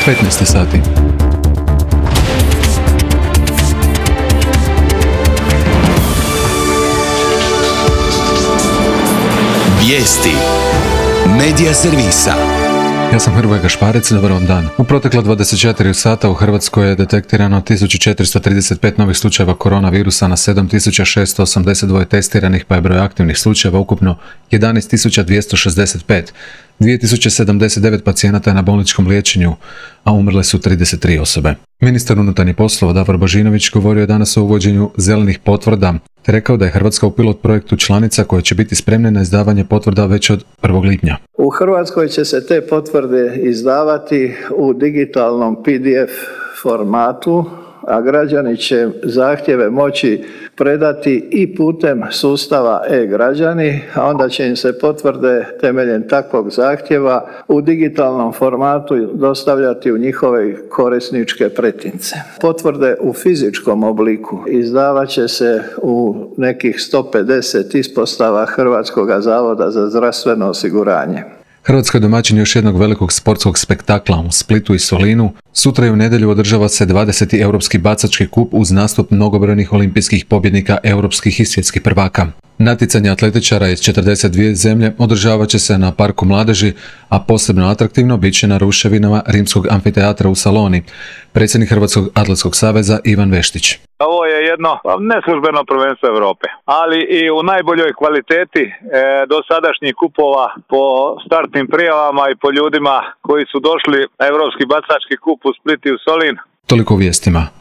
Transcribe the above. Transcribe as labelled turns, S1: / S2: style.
S1: 15 sati.
S2: Vijesti Medija servisa.
S1: Ja sam Hrvoje Gašparec, dobar vam dan. U protekla 24 sata u Hrvatskoj je detektirano 1435 novih slučajeva koronavirusa na 7682 testiranih, pa je broj aktivnih slučajeva ukupno 11265. 2079 pacijenata je na bolničkom liječenju, a umrle su 33 osobe. Ministar unutarnjih poslova Davor Božinović govorio je danas o uvođenju zelenih potvrda, te rekao da je Hrvatska u pilot projektu članica koje će biti spremne na izdavanje potvrda već od 1. lipnja.
S3: U Hrvatskoj će se te potvrde izdavati u digitalnom PDF formatu, a građani će zahtjeve moći predati i putem sustava e-građani, a onda će im se potvrde temeljem takvog zahtjeva u digitalnom formatu dostavljati u njihove korisničke pretince. Potvrde u fizičkom obliku izdavat će se u nekih 150 ispostava Hrvatskog zavoda za zdravstveno osiguranje.
S1: Hrvatska je domaćin još jednog velikog sportskog spektakla u Splitu i Solinu. Sutra i u nedjelju održava se 20. Europski bacački kup uz nastup mnogobrojnih olimpijskih pobjednika, europskih i svjetskih prvaka. Natjecanje atletičara iz 42 zemlje održavat će se na Parku mladeži, a posebno atraktivno bit će na ruševinama Rimskog amfiteatra u Saloni. Predsjednik Hrvatskog atletskog saveza Ivan Veštić.
S4: Ovo je jedno neslužbeno prvenstvo Europe, ali i u najboljoj kvaliteti dosadašnjih kupova po startnim prijavama i po ljudima koji su došli na Europski bacački kup u Split i u Solin.
S1: Toliko u vijestima.